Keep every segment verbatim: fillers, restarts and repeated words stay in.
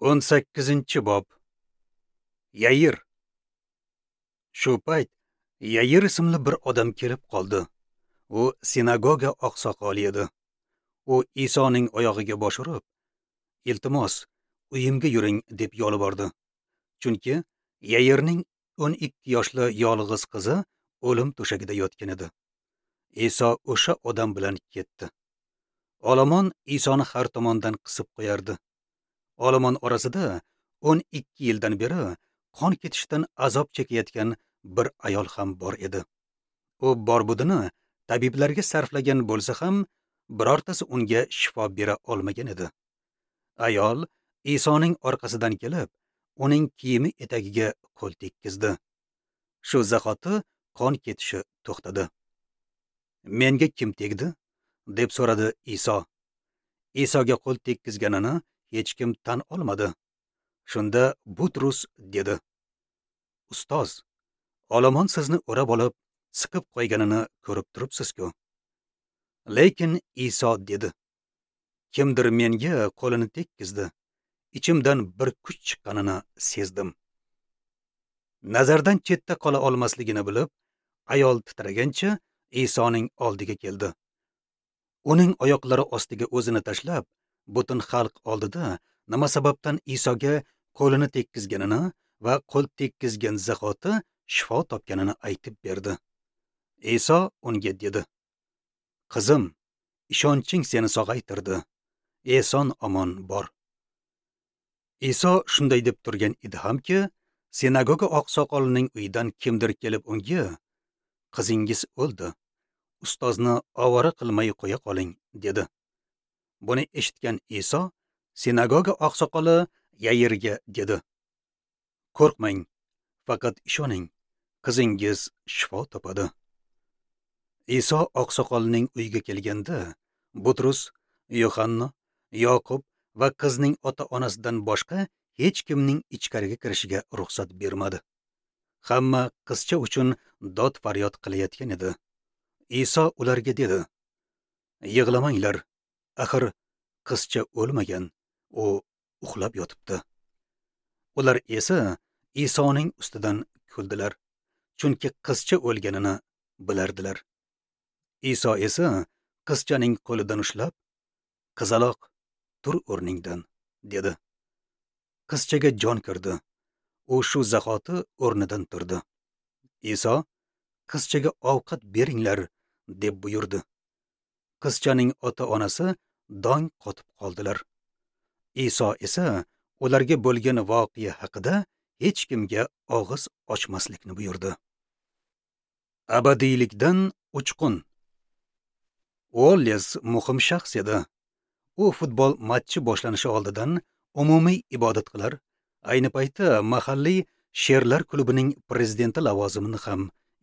O'n sakkizinchi bob. Yair. Shu payt Yair ismli bir odam kelib qoldi. U sinagoga oqsoqoli edi. U Isoning oyog'iga bosh urib, "Iltimos, uyimga yuring" deb yolvordi. Chunki Yairning o'n ikki yoshli yolg'iz qizi o'lim to'shagida yotgan edi. Iso o'sha odam bilan ketdi. Olomon Isoni har tomondan qisib qo'yardi. Olomon orasida o'n ikki yildan beri qon ketishdan azob chekayotgan bir ayol ham bor edi. U bor-budini tabiblarga sarflagan bo'lsa ham, birortasi unga shifo bera olmagan edi. Ayol Isoning orqasidan kelib, uning kiyimi etagiga qo'l tekkizdi. Shu zahoti qon ketishi to'xtadi. "Menga kim tegdi?" deb so'radi Iso. Isoga qo'l tekkizganini hech kim tan olmadi. Shunda Butrus dedi: "Ustoz, olomon sizni o'rab olib, siqib qo'yganini ko'rib turibsiz-ku." Lekin Iso dedi: "Kimdir menga qo'lini tekkizdi. Ichimdan bir kuch chiqqanini sezdim." Nazardan chetda qola olmasligini bilib, ayol titragancha Isoning oldiga keldi. Uning oyoqlari ostiga o'zini tashlab, butun xalq oldida nima sababdan Isoga qo'lini tekkizganini va qo'l tekkizgan zahoti shifo topganini aytib berdi. Iso unga dedi: "Qizim, ishonching seni sog'aytirdi. Eson omon bor." Iso shunday deb turgan edi hamki, sinagoga oqsoqolining uyidan kimdir kelib unga: "Qizingiz o'ldi. Ustozni ovora qilmay qo'ya qoling" dedi. Buni eshitgan Iso sinagoga oqsoqoli Yairga dedi: "Qo'rqmang, faqat ishoning, qizingiz shifo topadi." Iso oqsoqolning uyiga kelganda, Butrus, Yohanna, Yoqub va qizning ota-onasidan boshqa hech kimning ichkariga kirishiga ruxsat bermadi. Hamma qizcha uchun dod faryod qilayotgan edi. Iso ularga dedi: "Yig'lamanglar, axir qizcha o'lmagan, u uxlab yotibdi." Ular esa Isoning ustidan kuldilar, chunki qizcha o'lganini bilardilar. Iso esa qizchaning qo'lidan ushlab, "Qizaloq, tur o'rningdan" dedi. Qizchaga jon kirdi. U shu zahoti o'rnidan turdi. Iso: "Qizchaga ovqat beringlar" deb buyurdi. Qizchaning ota-onasi dong qotib qoldilar. Iso esa ularga bo'lgan voqea haqida hech kimga og'iz ochmaslikni buyurdi. Abadiylikdan uchqun. Uolles muhim shaxs edi. U futbol matchi boshlanishi oldidan umumiy ibodat qilar, ayni paytda mahalliy Sherlar klubining prezidenti lavozimini ham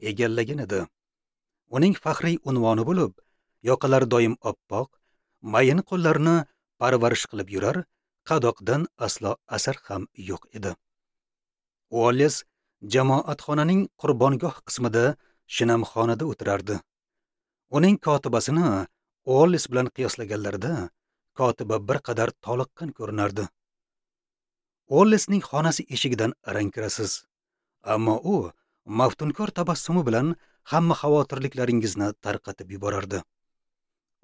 egallagan edi. Uning faxriy unvoni bo'lib, yoqalari doim oppoq, mayin qo'llarini parvarish qilib yurar, qadoqdan aslo asar ham yo'q edi. Uolles jamoatxonaning qurbongoh qismida shinamxonada o'tirardi. Uning kotibasini Uolles bilan qiyoslaganlarida kotiba bir qadar toliqqan ko'rinardi. Uollesning xonasi eshigidan arang kirasiz, ammo u maftunkor tabassumi bilan hamma xavotirliklaringizni tarqatib yuborardi.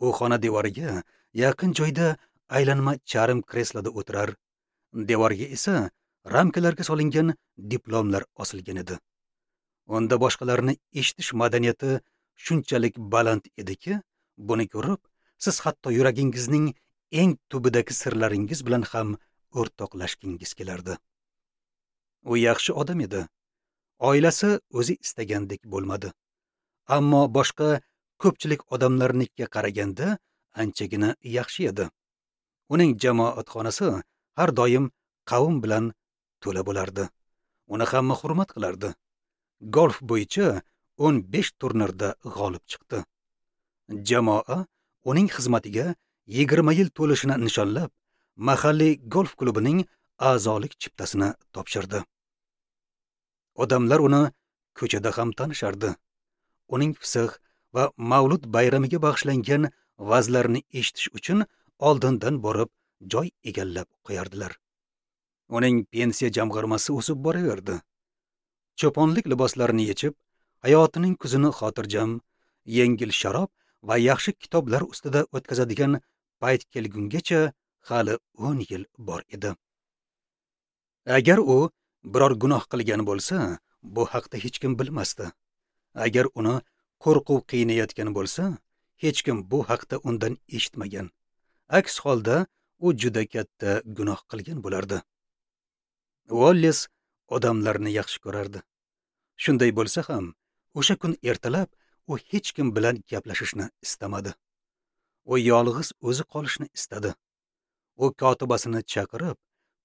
U xona devoriga yaqin joyda aylanma charm kresloda o'tirar, devorga esa ramkalarga solingan diplomlar osilgan edi. Unda boshqalarni eshitish madaniyati shunchalik baland ediki, buni ko'rib, siz hatto yuragingizning eng tubidagi sirlaringiz bilan ham o'rtoqlashgingiz kelardi. U yaxshi odam edi. Oilasi o'zi istagandek bo'lmadi. Ammo boshqa ko'pchilik odamlarnikiga qaraganda anchagina yaxshi edi. Uning jamoatxonasi har doim qavm bilan to'la bo'lardi. Uni hamma hurmat qilardi. Golf bo'yicha o'n besh turnirda g'olib chiqdi. Jamoa uning xizmatiga yigirma yil to'lishini nishonlab, mahalliy golf klubining a'zolik chiptasini topshirdi. Odamlar uni ko'chada ham tanishardi. Uning fisq va mavlud bayramiga bag'ishlangan vazlarini eshitish uchun oldindan borib joy egallab qo'yardilar. Uning pensiya jamg'armasi o'sib boraverdi. Cho'ponlik liboslarini yechib, hayotining kuzini xotirjam, yengil sharob va yaxshi kitoblar ustida o'tkazadigan payt kelgungacha hali o'n yil bor edi. Agar u biror gunoh qilgan bo'lsa, bu haqda hech kim bilmasdi. Agar uni qo'rquv qiynayotgan bo'lsa, hech kim bu haqda undan eshitmagan. Aks holda u juda katta gunoh qilgan bo'lardi. Uolles odamlarni yaxshi ko'rardi. Shunday bo'lsa ham, o'sha kun ertalab u hech kim bilan gaplashishni istamadi. U yolg'iz o'zi qolishni istadi. U kotibasini chaqirib,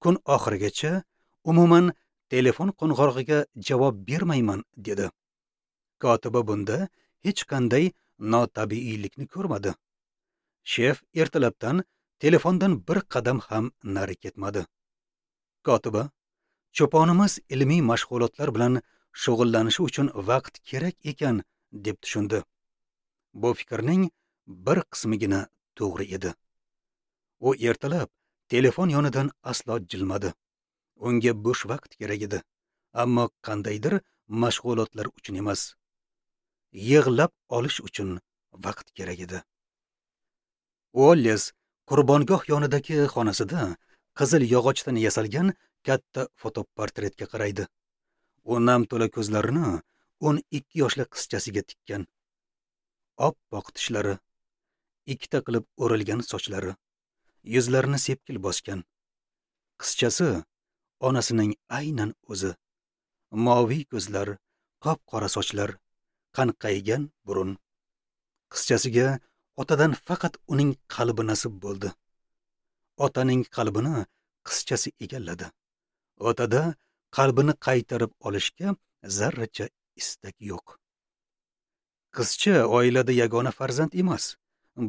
kun oxirigacha umuman telefon qo'ng'irog'iga javob bermayman dedi. Kotiba bunda hech qanday notabiiylikni ko'rmadi. Shef ertalabdan telefondan bir qadam ham nari ketmadi. Kotiba, cho'ponimiz ilmiy mashg'ulotlar bilan shug'ullanishi uchun vaqt kerak ekan deb tushundi. Bu fikrning bir qismigina to'g'ri edi. U ertalab telefon yonidan aslo jilmadi. Unga bo'sh vaqt kerak edi, ammo qandaydir mashg'ulotlar uchun emas. Yig'lab olish uchun vaqt kerak edi. Uolles qurbongoh yonidagi xonasida qizil yog'ochdan yasalgan katta fotoportretga qaraydi. U nam to'la ko'zlarini o'n ikki yoshli qizchasiga tikkan. Oppoq tishlari, ikkita qilib o'rilgan sochlari, yuzlarini sepkil bosgan. Qizchasi onasining aynan o'zi. Moviy ko'zlar, qop-qora sochlar, qanqaygan burun. Qizchasiga otadan faqat uning qalbi nasib bo'ldi. Otaning qalbini qizchasi egalladi. Otada qalbini qaytarib olishga zarracha istak yo'q. Qizcha oilada yagona farzand emas,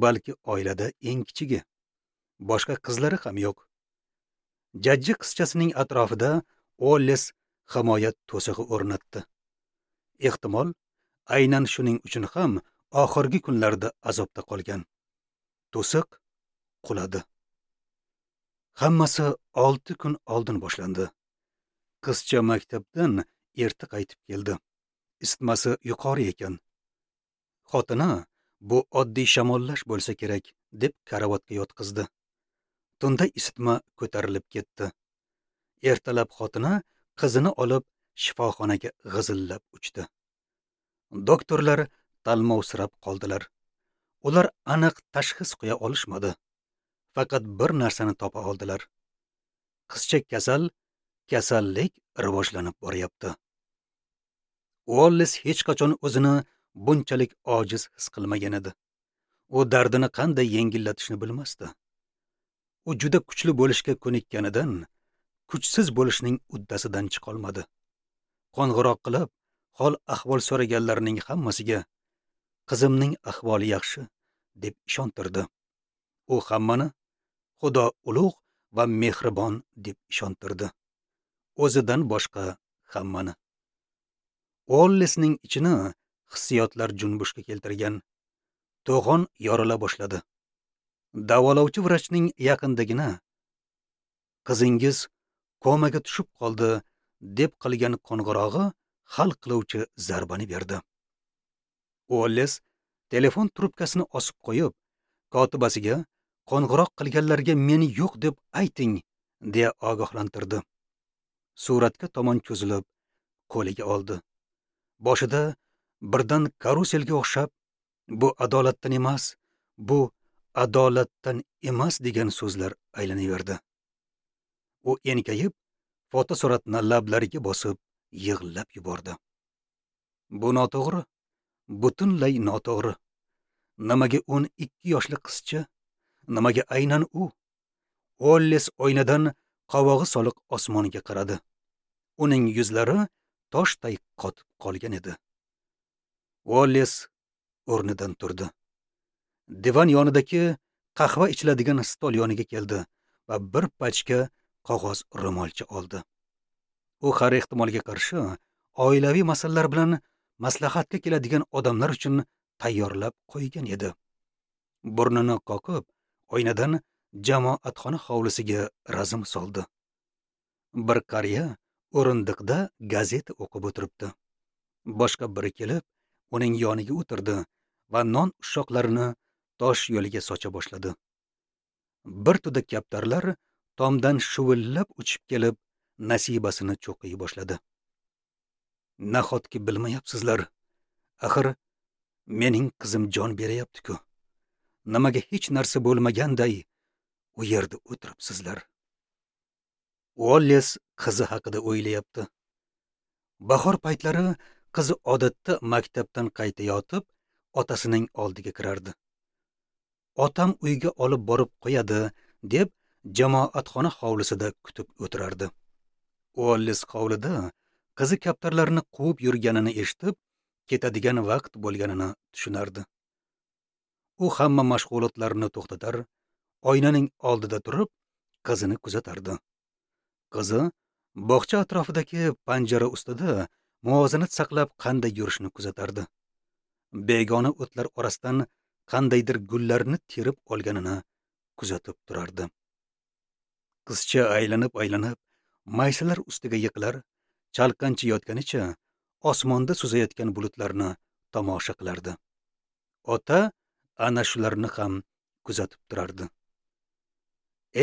balki oilada eng kichigi. Boshqa qizlari ham yo'q. Jajji qizchasining atrofida Uolles himoya to'sig'i o'rnatdi. Ehtimol, aynan shuning uchun ham oxirgi kunlarda azobda qolgan. To'siq quladi. Hammasi olti kun oldin boshlandi. Qizcha maktabdan erta qaytib keldi. Isitmasi yuqori ekan. Xotini bu oddiy shamollash bo'lsa kerak deb karavotga yotqizdi. Tunda isitma ko'tarilib ketdi. Ertalab xotini qizini olib shifoxonaga g'izillab uchdi. Doktorlar talmovsirab qoldilar. Ular aniq tashxis qo'ya olishmadi. Faqat bir narsani topa oldilar. Qizcha kasal, kasallik rivojlanib boryapti. Uolles hech qachon o'zini bunchalik ojiz his qilmagan edi. U dardini qanday yengillatishni bilmasdi. U juda kuchli bo'lishga ko'nikkanidan kuchsiz bo'lishning uddasidan chiqa olmadi. Qo'ng'iroq qilib, hol ahvol so'raganlarning hammasiga qizimning ahvoli yaxshi deb ishontirdi. U hammani Xudo ulug' va mehribon deb ishontirdi. O'zidan boshqa hammani. Uollesning ichini hissiyotlar junbushga keltirgan. To'g'on yorila boshladi. Davolovchi vrachning yaqindagina qizingiz komaga tushib qoldi deb qilgan qo'ng'irog'i hal qiluvchi zarbani berdi. Uolles telefon trubkasini osib qo'yib, kotibasiga qo'ng'iroq qilganlarga meni yo'q deb ayting deya ogohlantirdi. Suratga tomon cho'zilib qo'liga oldi. Boshida birdan karuselga o'xshab bu adolatdan emas, bu adolatdan emas degan so'zlar aylanaverdi. U enkayib, fotosuratni lablariga bosib yig'lab yubordi. Bu noto'g'ri, butunlay noto'g'ri. Nimaga o'n ikki yoshli qizcha? Nimaga aynan u? Uolles oynadan qovog'i soliq osmonga qaradi. Uning yuzlari toshday qotib qolgan edi. Uolles o'rnidan turdi. Divan yonidagi qahva ichiladigan stol yoniga keldi va bir pachka qog'oz ro'molcha oldi. U har ehtimolga qarshi oilaviy masalalar bilan maslahatga keladigan odamlar uchun tayyorlab qo'ygan edi. Burnini qoqib, oynadan jamoatxona hovlisiga razm soldi. Bir qariya o'rindiqda gazeta o'qib o'tiribdi. Boshqa biri kelib, uning yoniga o'tirdi va non ushoqlarini tosh yo'liga socha boshladi. Bir tuda kaptarlar tomdan shuvillab uchib kelib, nasibasini cho'qiy boshladi. Nahotki bilmayapsizlar? Axir mening qizim jon berayapti-ku. Nimaga hech narsa bo'lmaganday u yerda o'tiribsizlar? Uolles qizi haqida o'ylayapti. Bahor paytlari qizi odatda maktabdan qaytayotib, otasining oldiga kirardi. Otam uyga olib borib qo'yadi, deb jamoatxona hovlisida kutib o'tirardi. Uolles hovlida qizi kaptarlarni quvib yurganini eshitib, ketadigan vaqt bo'lganini tushunardi. U hamma mashg'ulotlarni to'xtatar, oynaning oldida turib, qizini kuzatardi. Qizi bog'cha atrofidagi panjara ustida muvozanat saqlab qanday yurishini kuzatardi. Begona o'tlar orasidan qandaydir gullarni terib olganini kuzatib turardi. Qizcha aylanib-aylanib maysalar ustiga yiqilar, chalqancha yotganicha osmonda suzayotgan bulutlarni tomosha qilardi. Ota ana shularni ham kuzatib turardi.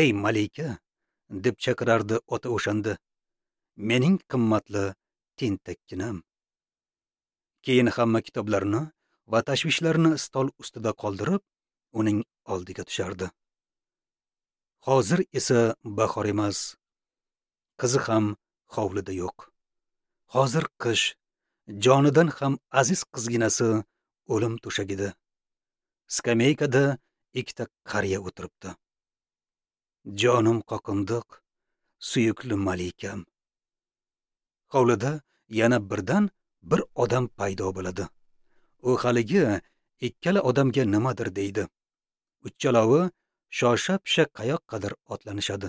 "Ey malika", deb chaqirardi ota o'shanda, "mening qimmatli tentakkinam." Keyin hamma kitoblarni va tashvishlarni stol ustida qoldirib, uning oldiga tushardi. Hozir esa bahor emas. Qizi ham hovlida yo'q. Hozir qish, jonidan ham aziz qizginasi o'lim to'shagida. Skameykada ikkita qariya o'tiribdi. Jonim qoqindiq, suyukli malikam. Hovlida yana birdan bir odam paydo bo'ladi. U haligi ikkala odamga nimadir deydi. Uchalovi shosha-pisha qayoqqadir otlanishadi.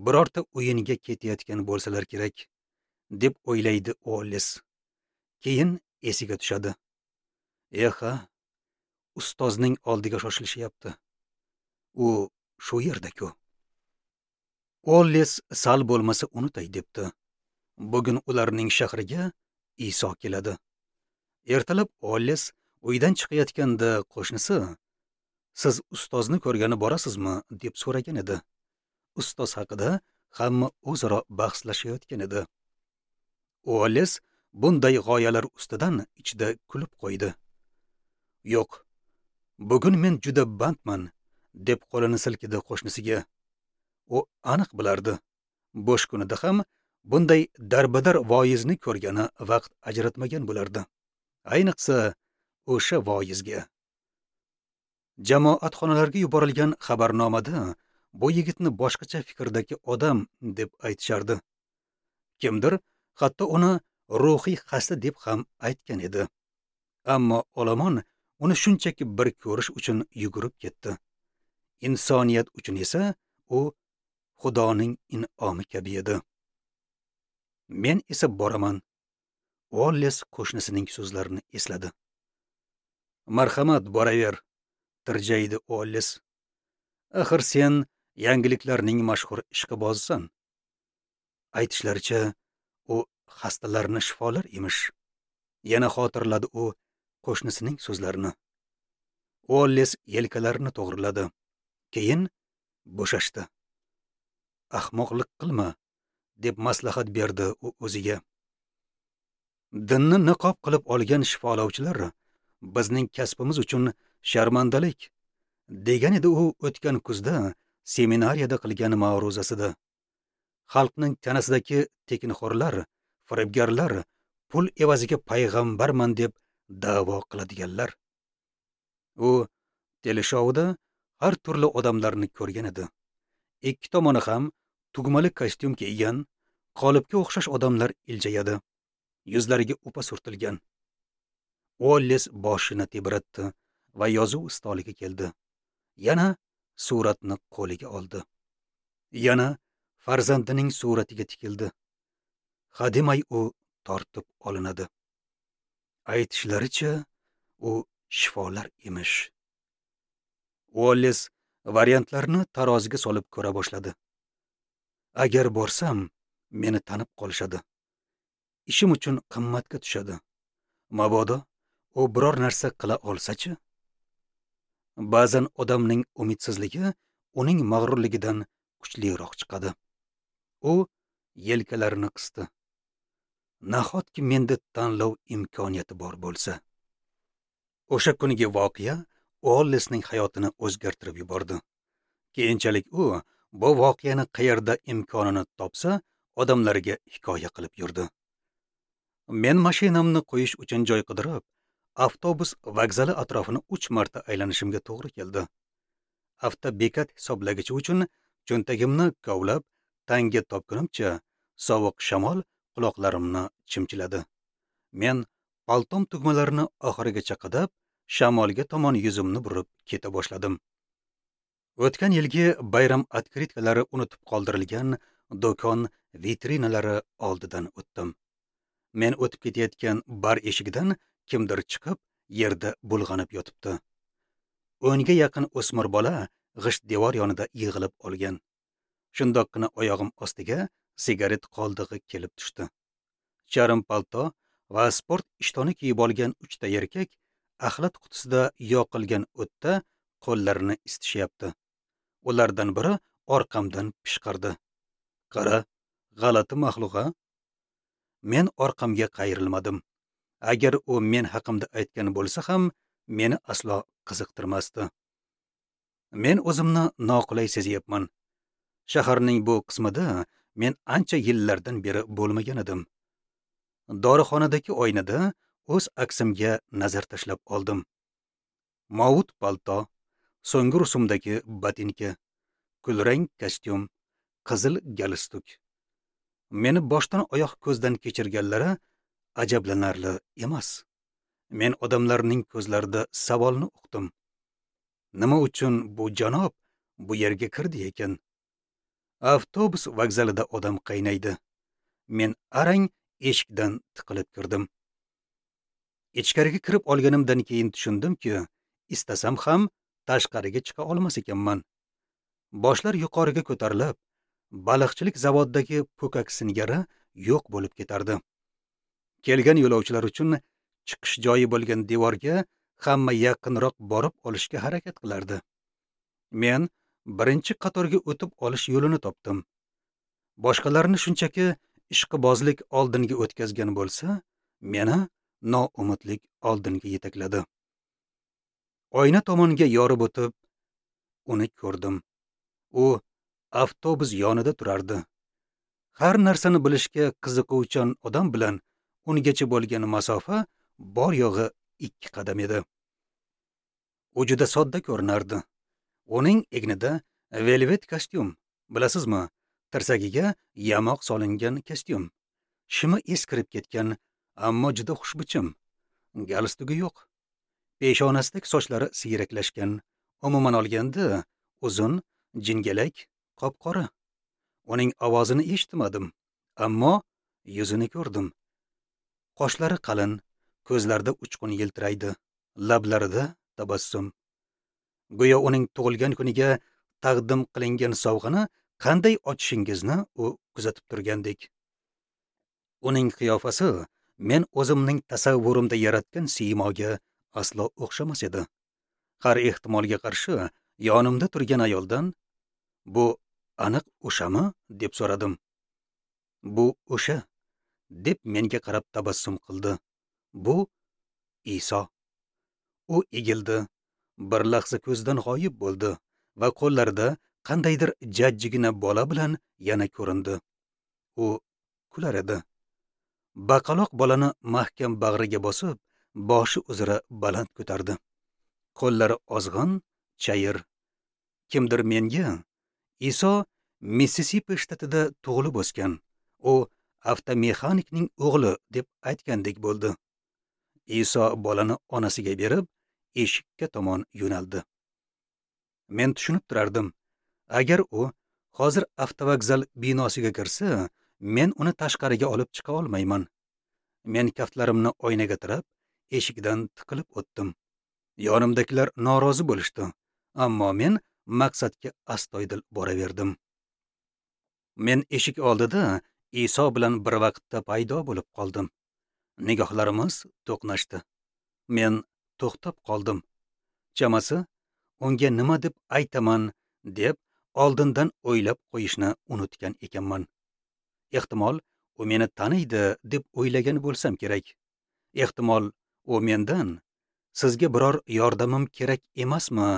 Birorta o'yinga ketayotgan bo'lsalar kerak, deb o'ylaydi Uolles. Keyin esiga tushadi. Eha, ustozning oldiga shoshilishyapti. U shu yerda-ku. Uolles sal bo'lmasa unutay debdi. Bugun ularning shahriga Iso keladi. Ertalab Uolles uydan chiqayotganda qo'shnisi, "Siz ustozni ko'rgani borasizmi?" deb so'ragan edi. Ustoz haqida hamma o'zaro bahslashayotgan edi. Uolles bunday g'oyalar ustidan ichida kulib qo'ydi. "Yo'q, bugun men juda bandman", deb qo'lini silkidi qo'shnisiga. U aniq bilardi. Bo'sh kunida ham bunday darbadar voizni ko'rgani vaqt ajratmagan bo'lardi. Ayniqsa o'sha voizga. Jamoatxonalarga yuborilgan xabarnomada bu yigitni boshqacha fikrdagi odam deb aytishardi. Kimdir hatto uni ruhiy xasta deb ham aytgan edi. Ammo olomon uni shunchaki bir ko'rish uchun yugurib ketdi. Insoniyat uchun esa u Xudoning in'omi kabi edi. Men esa boraman. Uolles qo'shnisining so'zlarini esladi. "Marhamat, boraver", tirjaydi Uolles. "Axir sen yangiliklarning mashhur ishqibozisan. Aytishlaricha, u xastalarni shifolar emish." Yana xotirladi u qo'shnisining so'zlarini. Uolles yelkalarini to'g'riladi. Keyin bo'shashdi. "Ahmoqlik qilma", deb maslahat berdi u o'ziga. Dinni niqob qilib olgan shifolovchilar bizning kasbimiz uchun sharmandalik, degan edi u o'tgan kuzda seminariyada qilgan ma'ruzasida. Xalqning tanasidagi tekinxo'rlar, firibgarlar, pul evaziga payg'ambarman deb da'vo qiladiganlar. U teleshouda har turli odamlarni ko'rgan edi. Ikki tomoni ham tugmali kostyum kiygan, qolipga o'xshash odamlar iljayadi. Yuzlariga upa surtilgan. Uolles boshini tebratdi va yozuv stoliga keldi. Yana suratni qo'liga oldi. Yana farzandining suratiga tikildi. Hademay u tortib olinadi. Aytishlaricha, u shifolar emish. Uolles variantlarni taroziga solib ko'ra boshladi. Agar borsam, meni tanib qolishadi. Ishim uchun qimmatga tushadi. Mabodo u biror narsa qila olsa-chi? Ba'zan odamning umidsizligi uning mag'rurligidan kuchliroq chiqadi. U yelkalarini qisdi. Nahotki menda tanlov imkoniyati bor bo'lsa? O'sha kungi voqea Uollisning hayotini o'zgartirib yubordi. Keyinchalik u bu voqeani qayerda imkonini topsa, odamlarga hikoya qilib yurdi. Men mashinamni qo'yish uchun joy qidirib, avtobus vokzali atrofini uch marta aylanishimga to'g'ri keldi. Avtobekat hisoblagichi uchun cho'ntagimni kovlab, tanga topgunimcha sovuq shamol quloqlarimni chimchiladi. Men paltom tugmalarini oxirigacha qadab, shamolga tomon yuzimni burib keta boshladim. O'tgan yilgi bayram otkritkalari unutib qoldirilgan do'kon vitrinalari oldidan o'tdim. Men o'tib ketayotgan bar eshigidan kimdir chiqib, yerda bulg'anib yotibdi. O'nga yaqin o'smir bola g'isht devor yonida yig'ilib olgan. Shundoqqina oyog'im ostiga sigaret qoldig'i kelib tushdi. Charm palto va sport ishtoni kiyib olgan uchta erkak axlat qutisida yoqilgan o'tda qo'llarini isitishyapti. Ulardan biri orqamdan pishqirdi. Qara, g'alati maxluq-a? Men orqamga qayrilmadim. Agar u men haqimda aytgan bo'lsa ham, meni aslo qiziqtirmasdi. Men o'zimni noqulay sezyapman. Shaharning bu qismida men ancha yillardan beri bo'lmagan edim. Dorixonadagi oynada o'z aksimga nazar tashlab oldim. Movut palto, so'nggi rusumdagi botinka, kulrang kostyum, qizil galstuk. Meni boshdan oyoq ko'zdan kechirganlari ajablanarli emas. Men odamlarning ko'zlarida savolni uqdim. Nima uchun bu janob bu yerga kirdi ekan? Avtobus vokzalida odam qaynaydi. Men arang eshikdan tiqilib kirdim. Ichkariga kirib olganimdan keyin tushundimki, istasam ham tashqariga chiqa olmas ekanman. Boshlar yuqoriga ko'tarilib, baliqchilik zavodidagi po'kak singari yo'q bo'lib ketardi. Kelgan yo'lovchilar uchun chiqish joyi bo'lgan devorga hamma yaqinroq borib olishga harakat qilardi. Men birinchi qatorga o'tib olish yo'lini topdim. Boshqalarni shunchaki ishqibozlik oldinga o'tkazgan bo'lsa, meni noumidlik oldinga yetakladi. Oyna tomonga yorib o'tib, uni ko'rdim. U avtobus yonida turardi. Har narsani bilishga qiziquvchan odam bilan ungacha bo'lgan masofa bor yo'g'i ikki qadam edi. U juda sodda ko'rinardi. Uning egnida velvet kostyum, bilasizmi, tirsagiga yamoq solingan kostyum. Shimi eskirib ketgan, ammo juda xushbichim. Galstugi yo'q. Peshonasidagi sochlari siyraklashgan. Umuman olganda uzun, jingalak, qop-qora. Uning ovozini eshitmadim, ammo yuzini ko'rdim. Qoshlari qalin, ko'zlarida uchqun yiltiraydi, lablarida tabassum. Go'yo uning tug'ilgan kuniga taqdim qilingan sovg'ani qanday ochishingizni u kuzatib turgandek. Uning qiyofasi men o'zimning tasavvurimda yaratgan siymoga aslo o'xshamas edi. Har ehtimolga qarshi yonimda turgan ayoldan "Bu aniq o'shami?" deb so'radim. "Bu o'sha", deb menga qarab tabassum qildi. "Bu Iso." U egildi, bir lahza ko'zdan g'oyib bo'ldi va qo'llarida qandaydir jajjigina bola bilan yana ko'rindi. U kular edi. Baqaloq bolani mahkam bag'riga bosib, boshi uzra baland ko'tardi. Qo'llari ozg'in, chayir. Kimdir menga Iso Mississippi shtatida tug'ilib o'sgan, u avtomexanikning o'g'li deb aytgandek bo'ldi. Iso bolani onasiga berib, eshikka tomon yo'naldi. Men tushunib turardim. Agar u hozir avtovokzal binosiga kirsa, men uni tashqariga olib chiqa olmayman. Men kaftlarimni oynaga tirab, eshikdan tiqilib o'tdim. Yonimdagilar norozi bo'lishdi, ammo men maqsadga astoydil boraverdim. Men eshik oldida Iso bilan bir vaqtda paydo bo'lib qoldim. Nigohlarimiz to'qnashdi. Men to'xtab qoldim. Chamasi, unga nima deb aytaman deb oldindan o'ylab qo'yishni unutgan ekanman. Ehtimol, u meni taniydi deb o'ylagan bo'lsam kerak. Ehtimol, u mendan sizga biror yordamim kerak emasmi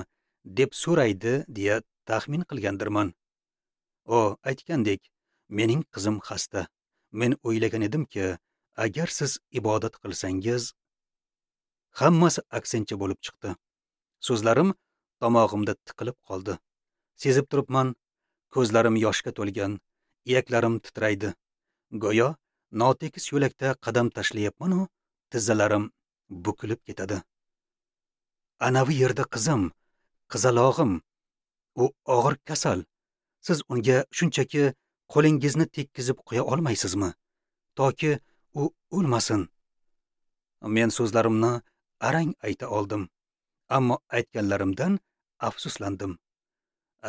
deb so'raydi deya taxmin qilgandirman. O aytgandek, mening qizim xasta. Men o'ylagan edimki, agar siz ibodat qilsangiz, hammasi aksincha bo'lib chiqdi. So'zlarim tomog'imda tiqilib qoldi. Sezib turibman, ko'zlarim yoshga to'lgan, iyaklarim titraydi. Go'yo notekis yo'lakda qadam tashlayapman-u, tizzalarim bukilib ketadi. Anavi yerda qizim, qizalog'im, u og'ir kasal. Siz unga shunchaki qo'lingizni tekkizib qo'ya olmaysizmi? Toki u o'lmasin. Men so'zlarimni arang ayta oldim, ammo aytganlarimdan afsuslandim.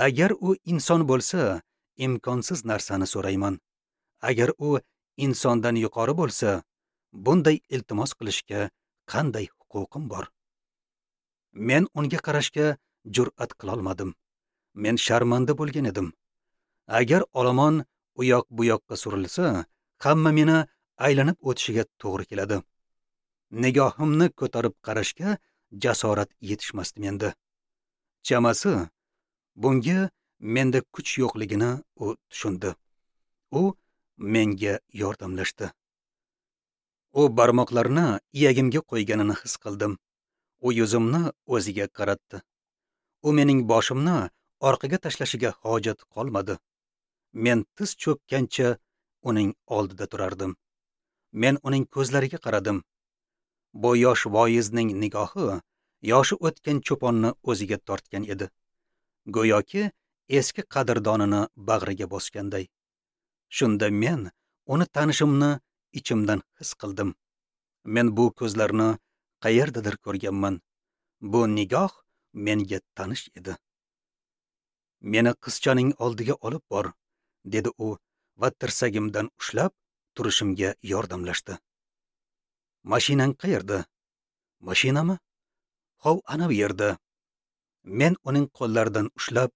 Agar u inson bo'lsa, imkonsiz narsani so'rayman. Agar u insondan yuqori bo'lsa, bunday iltimos qilishga qanday huquqim bor? Men unga qarashga jur'at qila olmadim. Men sharmanda bo'lgan edim. Agar olomon u yoq bu yoqqa surilsa, hamma meni aylanib o'tishiga to'g'ri keladi. Nigohimni ko'tarib qarashga jasorat yetishmasdi menda. Chamasi, bunga menda kuch yo'qligini u tushundi. U menga yordamlashdi. U barmoqlarini iyagimga qo'yganini his qildim. U yuzimni o'ziga qaratdi. U mening boshimni orqaga tashlashiga hojat qolmadi. Men tiz cho'kkancha uning oldida turardim. Men uning ko'zlariga qaradim. Bu yosh voizning nigohi yoshi o'tgan cho'ponni o'ziga tortgan edi. Go'yoki eski qadrdonini bag'riga bosganday. Shunda men uni tanishimni ichimdan his qildim. Men bu ko'zlarni qayerdadir ko'rganman. Bu nigoh menga tanish edi. Meni qizchaning oldiga olib bor, dedi u va tirsagimdan ushlab turishimga yordamlashdi. Mashinang qayerda? Mashinami? Hov, ana bu yerda. Men uning qo'llaridan ushlab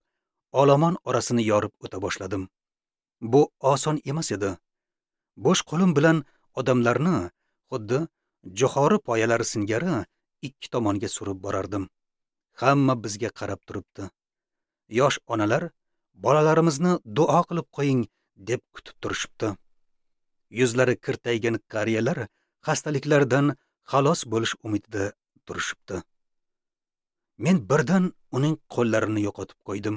olomon orasini yorib o'ta boshladim. Bu oson emas edi. Bo'sh qo'lim bilan odamlarni xuddi jo'xori poyalari singari ikki tomonga surib borardim. Hamma bizga qarab turibdi. Yosh onalar bolalarimizni duo qilib qo'ying deb kutib turishibdi. Yuzlari kirtaygan qariyalar xastaliklardan xalos bo'lish umidida turishibdi. Men birdan uning qo'llarini yo'qotib qo'ydim.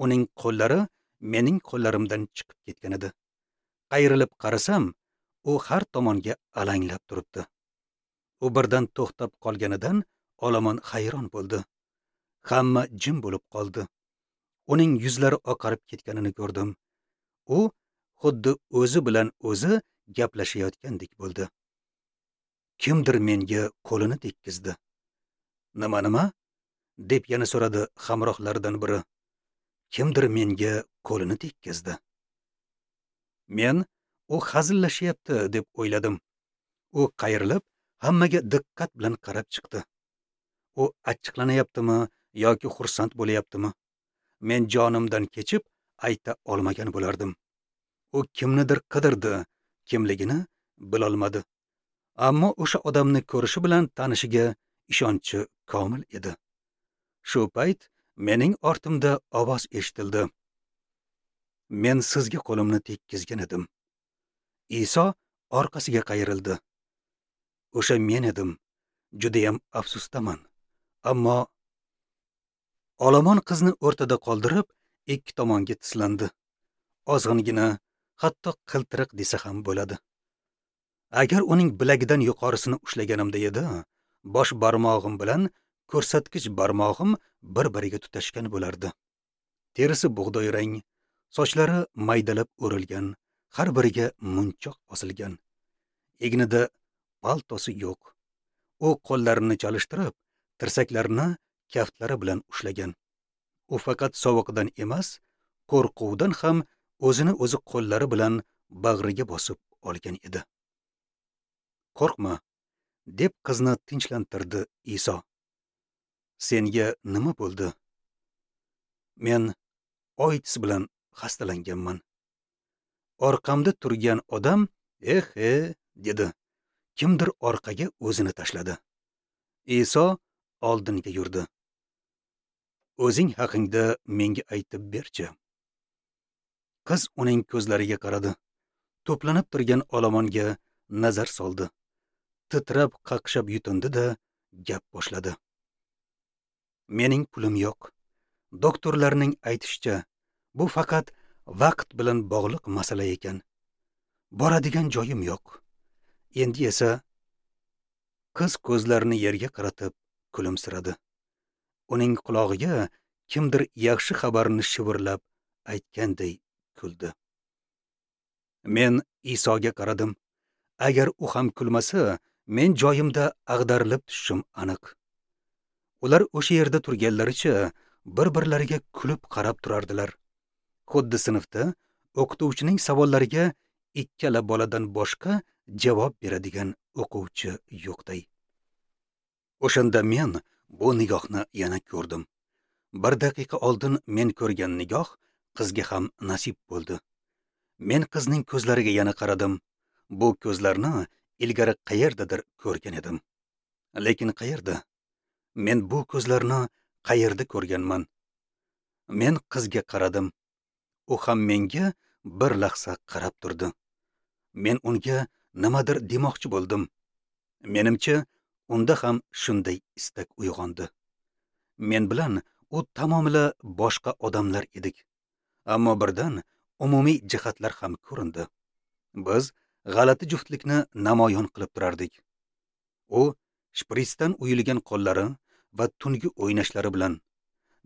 Uning qo'llari mening qo'llarimdan chiqib ketgan edi. Qayrilib qarasam, u har tomonga alanglab turibdi. U birdan to'xtab qolganidan olomon hayron bo'ldi. Hamma jim bo'lib qoldi. Uning yuzlari oqarib ketganini ko'rdim. U xuddi o'zi bilan o'zi gaplashayotgandek bo'ldi. Kimdir menga qo'lini tekkizdi. Nima nima? deb yana so'radi hamrohlaridan biri. Kimdir menga qo'lini tekkizdi. Men u hazillashyapti deb o'yladim. U qayrilib hammaga diqqat bilan qarab chiqdi. U achchiqlanayaptimi yoki xursand bo'layaptimi? Men jonimdan kechib ayta olmagan bo'lardim. U kimnidir qidirdi, kimligini bilolmadi. Ammo o'sha odamni ko'rishi bilan tanishiga ishonchi komil edi. Shu payt mening ortimda ovoz eshitildi. Men sizga qo'limni tekkizgan edim. Iso orqasiga qayrildi. O'sha men edim. Judayam afsusdaman. Ammo olomon qizni o'rtada qoldirib, ikki tomonga tislandi. Ozg'ingina, hatto qiltiriq desa ham bo'ladi. Agar uning bilagidan yuqorisini ushlaganimda edi, bosh barmog'im bilan ko'rsatkich barmog'im bir-biriga tutashgan bo'lardi. Terisi bug'doy rang, sochlari maydalab o'rilgan, har biriga munchoq osilgan. Egnida paltosi yo'q. U qo'llarini chalishtirib, tirsaklarini kaftlari bilan ushlagan. U faqat sovuqdan emas, qo'rquvdan ham O'zini o'zi qo'llari bilan bag'riga bosib olgan edi. Qo'rqma, deb qizni tinchlantirdi Iso. Senga nima bo'ldi? Men OIDS bilan xastalanganman. Orqamda turgan odam eh eh dedi. Kimdir orqaga o'zini tashladi. Iso oldinga yurdi. O'zing haqingda menga aytib berchi. Qiz uning ko'zlariga qaradi. To'planib turgan olomonga nazar soldi. Titrab qaqshab yutindi-da gap boshladi. Mening pulim yo'q. Doktorlarning aytishicha, bu faqat vaqt bilan bog'liq masala ekan. Boradigan joyim yo'q. Endi esa qiz ko'zlarini yerga qaratib kulimsiradi. Uning qulog'iga kimdir yaxshi xabarni shivirlab aytganday kuldi. Men Isoga qaradim. Agar u ham kulmasa, men joyimda ag'darilib tushishim aniq. Ular o'sha yerda turganlaricha bir-birlariga kulib qarab turardilar. Xuddi sinfda o'qituvchining savollariga ikkala boladan boshqa javob beradigan o'quvchi yo'qday. O'shanda men bu nigohni yana ko'rdim. Bir daqiqa oldin men ko'rgan nigoh qizga ham nasib bo'ldi. Men qizning ko'zlariga yana qaradim. Bu ko'zlarni ilgari qayerdadir ko'rgan edim. Lekin qayerda? Men bu ko'zlarni qayerda ko'rganman? Men qizga qaradim. U ham menga bir lahza qarab turdi. Men unga nimadir demoqchi bo'ldim. Menimcha, unda ham shunday istak uyg'ondi. Men bilan u tamomila boshqa odamlar edik. Ammo birdan umumiy jihatlar ham ko'rindi. Biz g'alati juftlikni namoyon qilib turardik. U shpritsdan uyilgan qo'llari va tungi o'ynashlari bilan,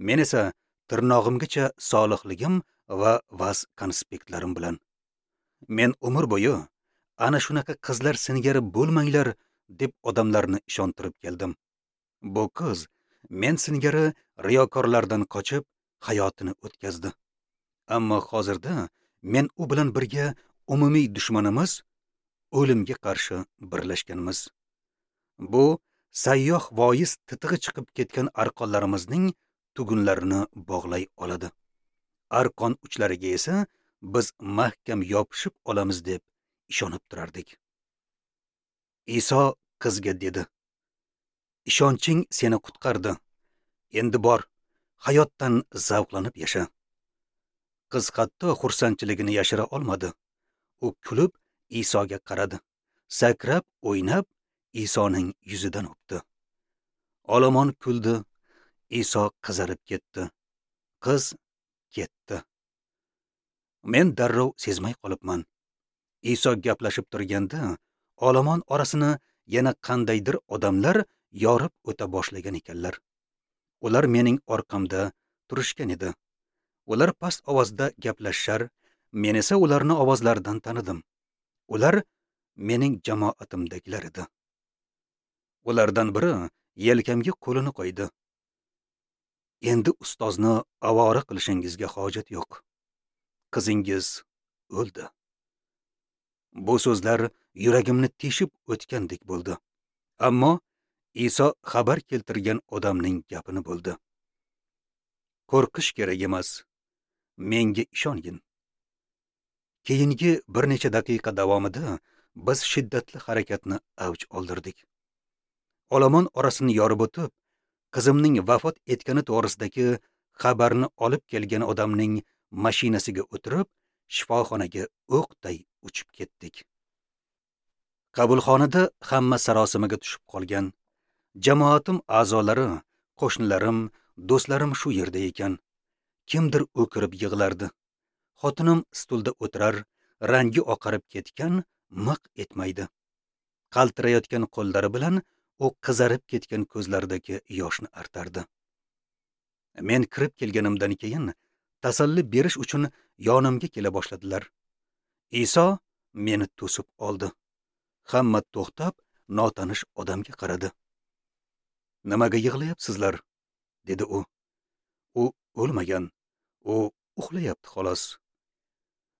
men esa tirnog'imgacha solihligim va vaz konspektlarim bilan. Men umr bo'yi ana shunaqa qizlar singari bo'lmanglar deb odamlarni ishontirib keldim. Bu qiz men singari riyokorlardan qochib hayotini o'tkazdi. Ammo hozirda men u bilan birga umumiy dushmanimiz o'limga qarshi birlashganmiz. Bu sayyoh voiz titig'i chiqib ketgan arqonlarimizning tugunlarini bog'lay oladi. Arqon uchlariga esa biz mahkam yopishib olamiz deb ishonib turardik. Iso qizga dedi: "Ishonching seni qutqardi. Endi bor, hayotdan zavqlanib yasha." Qiz hatto xursandchiligini yashira olmadi. U kulib Isoga qaradi. Sakrab, o'ynab Isoning yuzidan o'pdi. Olomon kuldi. Iso qizarib ketdi. Qiz ketdi. Men darrov sezmay qolibman. Iso gaplashib turganda, olomon orasini yana qandaydir odamlar yorib o'ta boshlagan ekanlar. Ular mening orqamda turishgan edi. Ular past ovozda gaplashishar, men esa ularni ovozlaridan tanidim. Ular mening jamoatimdagilar edi. Ulardan biri yelkamga qo'lini qo'ydi. Endi ustozni avora qilishingizga hojat yo'q. Qizingiz o'ldi. Bu so'zlar yuragimni teshib o'tgandek bo'ldi. Ammo Iso xabar keltirgan odamning gapini bo'ldi. Qo'rqish kerak emas. Menga ishongin. Keyingi bir necha daqiqa davomida biz shiddatli harakatni avj oldirdik. Olomon orasini yorib o'tib, qizimning vafot etgani to'g'risidagi xabarni olib kelgan odamning mashinasiga o'tirib, shifoxonaga o'qday uchib ketdik. Qabulxonada hamma sarosimaga tushib qolgan. Jamoatim a'zolari, qo'shnilarim, do'stlarim shu yerda ekan. Kimdir o'kirib yig'lardi. Xotinim stulda o'tirar, rangi oqarib ketgan, miq etmaydi. Qaltirayotgan qo'llari bilan u qizarib ketgan ko'zlaridagi yoshni artardi. Men kirib kelganimdan keyin tasalli berish uchun yonimga kela boshladilar. Iso meni to'sib oldi. Hamma to'xtab, notanish odamga qaradi. "Nimaga yig'layapsizlar?" dedi u. "U o'lmagan. U uxlayapti xolos."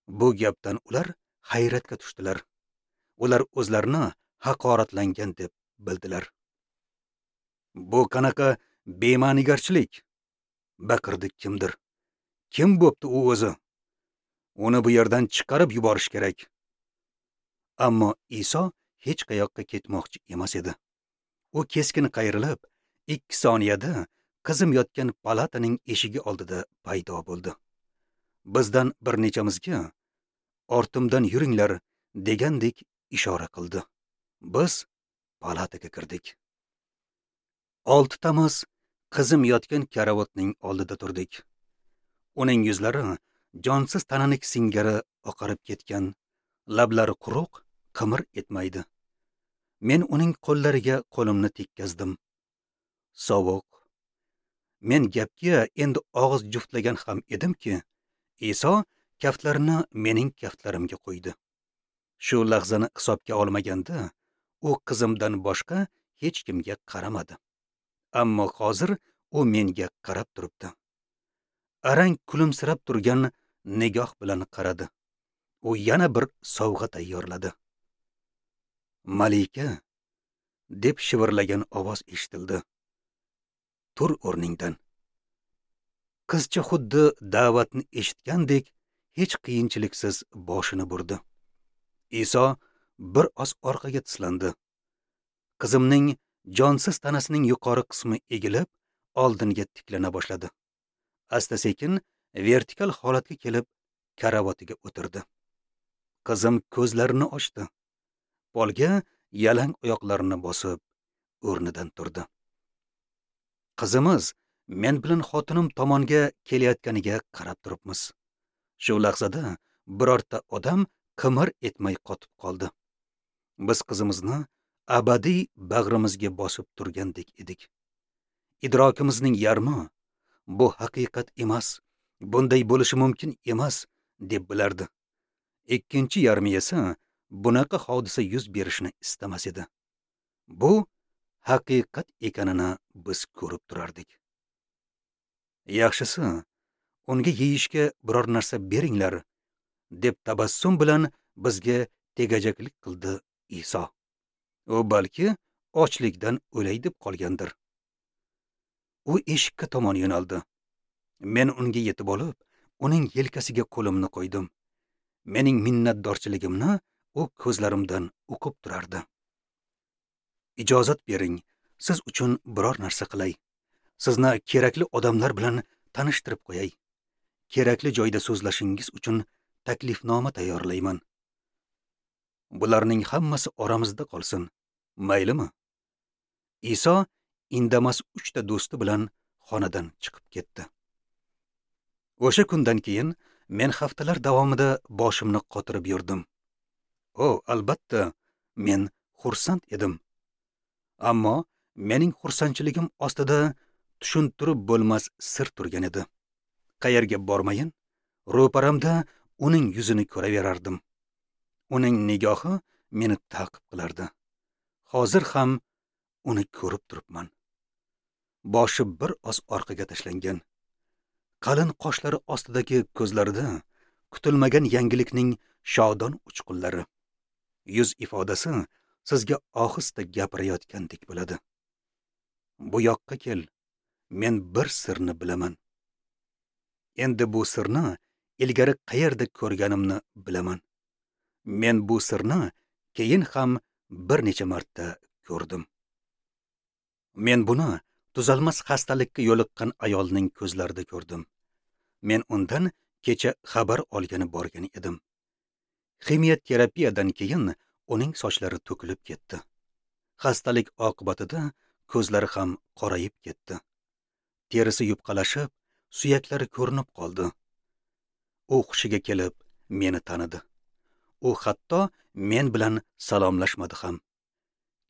Bu gapdan ular hayratga tushdilar. Ular o'zlarini haqoratlangan deb bildilar. Bu qanaqa bema'nigarchilik? Baqirdi kimdir. Kim bo'pti u o'zi? Uni bu yerdan chiqarib yuborish kerak. Ammo Iso hech qayoqqa ketmoqchi emas edi. U keskin qayrilib, ikki soniyada qizim yotgan palataning eshigi oldida paydo bo'ldi. Bizdan bir nechamizga ortimdan yuringlar degandek ishora qildi. Biz palataga kirdik. Oltitamiz qizim yotgan karavotning oldida turdik. Uning yuzlari jonsiz tananik singari oqarib ketgan, lablari quruq, qimir etmaydi. Men uning qo'llariga qo'limni tekkazdim. Sovuq. Men gapga endi og'iz juftlagan ham edimki, Iso kaftlarini mening kaftlarimga qo'ydi. Shu lahzani hisobga olmaganda, u qizimdan boshqa hech kimga qaramadi. Ammo hozir u menga qarab turibdi. Arang kulimsirab turgan nigoh bilan qaradi. U yana bir sovg'a tayyorladi. Malika, deb shivirlagan ovoz eshitildi. Tur o'rningdan. Qizcha xuddi da'vatni eshitgandek hech qiyinchiliksiz boshini burdi. Iso bir oz orqaga tislandi. Qizimning jonsiz tanasining yuqori qismi egilib, oldinga tiklana boshladi. Asta-sekin vertikal holatga kelib, karavotiga o'tirdi. Qizim ko'zlarini ochdi. Polga yalang oyoqlarini bosib, o'rnidan turdi. Qizimiz men bilan xotinim tomonga kelayotganiga qarab turibmiz. Shu lahzada birorta odam qimir etmay qotib qoldi. Biz qizimizni abadiy bag'rimizga bosib turgandek edik. Idrokimizning yarmi bu haqiqat emas, bunday bo'lishi mumkin emas deb bilardi. Ikkinchi yarmi esa bunaqa hodisa yuz berishini istamas edi. Bu haqiqat ekanini biz ko'rib turardik. Yaxshisi, unga yeyishga biror narsa beringlar, deb tabassum bilan bizga tegajaklik qildi Iso. U balki ochlikdan o'lay deb qolgandir. U eshikka tomon yo'naldi. Men unga yetib olib, uning yelkasiga qo'limni qo'ydim. Mening minnatdorchiligimni u ko'zlarimdan o'qib turardi. Ijozat bering, siz uchun biror narsa qilay. Sizni kerakli odamlar bilan tanishtirib qo'yay. Kerakli joyda so'zlashingiz uchun taklifnoma tayyorlayman. Bularning hammasi oramizda qolsin, maylimi? Iso indamas uchta do'sti bilan xonadan chiqib ketdi. O'sha kundan keyin men haftalar davomida boshimni qotirib yurdim. O, albatta, men xursand edim. Ammo mening xursandchiligim ostida tushuntirib bo'lmas sir turgan edi. Qayerga bormayin, ro'paramda uning yuzini ko'raverardim. Uning nigohi meni ta'qib qilardi. Hozir ham uni ko'rib turibman. Boshi bir oz orqaga tashlangan. Qalin qoshlari ostidagi ko'zlarida kutilmagan yangilikning shodon uchqunlari. Yuz ifodasi sizga ohista gapirayotgandek bo'ladi. Bu yoqqa kel, men bir sirni bilaman. Endi bu sirni ilgari qayerda ko'rganimni bilaman. Men bu sirni keyin ham bir necha marta ko'rdim. Men buni tuzalmas xastalikka yo'liqqan ayolning ko'zlarida ko'rdim. Men undan kecha xabar olgani borgan edim. Ximiya terapiyadan keyin uning sochlari to'kilib ketdi. Xastalik oqibatida ko'zlari ham qorayib ketdi. Terisi yupqalashib, suyaklari ko'rinib qoldi. U hushiga kelib meni tanidi. U hatto men bilan salomlashmadi ham.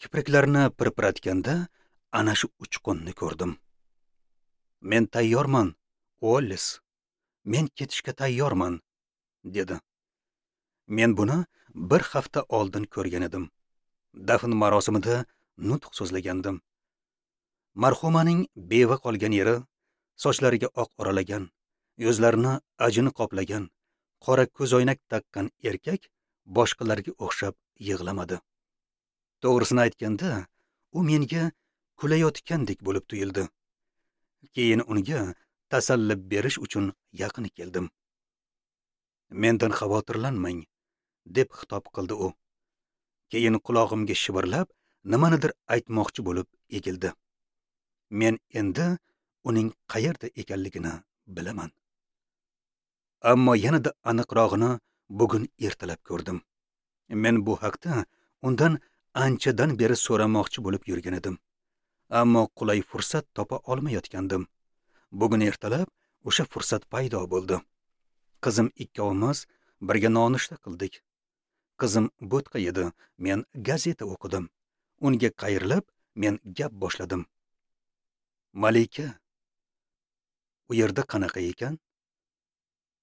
Kipriklarini pirpiratganda ana shu uchqunni ko'rdim. Men tayyorman, Uollis. Men ketishga tayyorman, dedi. Men buni bir hafta oldin ko'rgan edim. Dafn marosimida nutq so'zlagandim. Marhumaning beva qolgan yeri, sochlariga oq oralagan, yuzlarini ajin qoplagan, Qora ko'zoynak taqqan erkak boshqalarga o'xshab yig'lamadi. To'g'risini aytganda, u menga kulayotgandek bo'lib tuyuldi. Keyin unga tasalli berish uchun yaqin keldim. Mendan xavotirlanmang, deb xitob qildi u. Keyin qulog'imga shivirlab, nimanidir aytmoqchi bo'lib egildi. Men endi uning qayerda ekanligini bilaman. Ammo yanada aniqrog'ini bugun ertalab ko'rdim. Men bu haqda undan anchadan beri so'ramoqchi bo'lib yurgan edim. Ammo qulay fursat topa olmayotgandim. Bugun ertalab o'sha fursat paydo bo'ldi. Qizim ikkovimiz birga nonushta qildik. Qizim bo'tqa yedi, men gazeta o'qidim. Unga qayrilib, men gap boshladim. Malika, u yerda qanaqa ekan?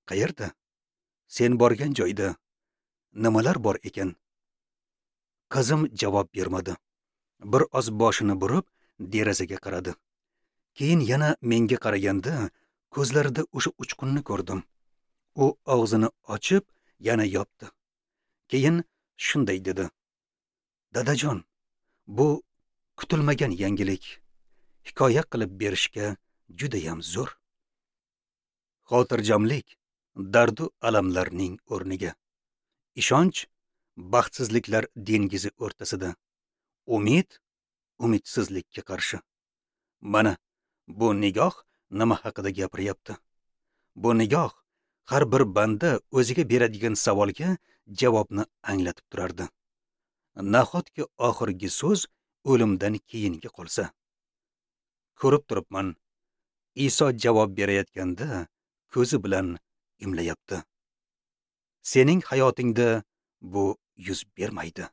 Qayerda? Sen borgan joyda nimalar bor ekan? Qizim javob bermadi. Bir oz boshini burib, derazaga qaradi. Keyin yana menga qaraganda, ko'zlarida o'sha uchqunni ko'rdim. U og'zini ochib, yana yopdi. Keyin shunday dedi: Dadajon, bu kutilmagan yangilik. Hikoya qilib berishga judayam zo'r. Xotirjamlik dardu alamlarning o'rniga. Ishonch baxtsizliklar dengizi o'rtasida. Umid umidsizlikka qarshi. Mana bu nigoh nima haqida gapiryapti? Bu nigoh har bir banda o'ziga beradigan savolga javobni anglatib turardi. Nahotki oxirgi so'z o'limdan keyingi qolsa? Ko'rib turibman, Iso javob berayotganda ko'zi bilan imlayapti. Sening hayotingda bu yuz bermaydi.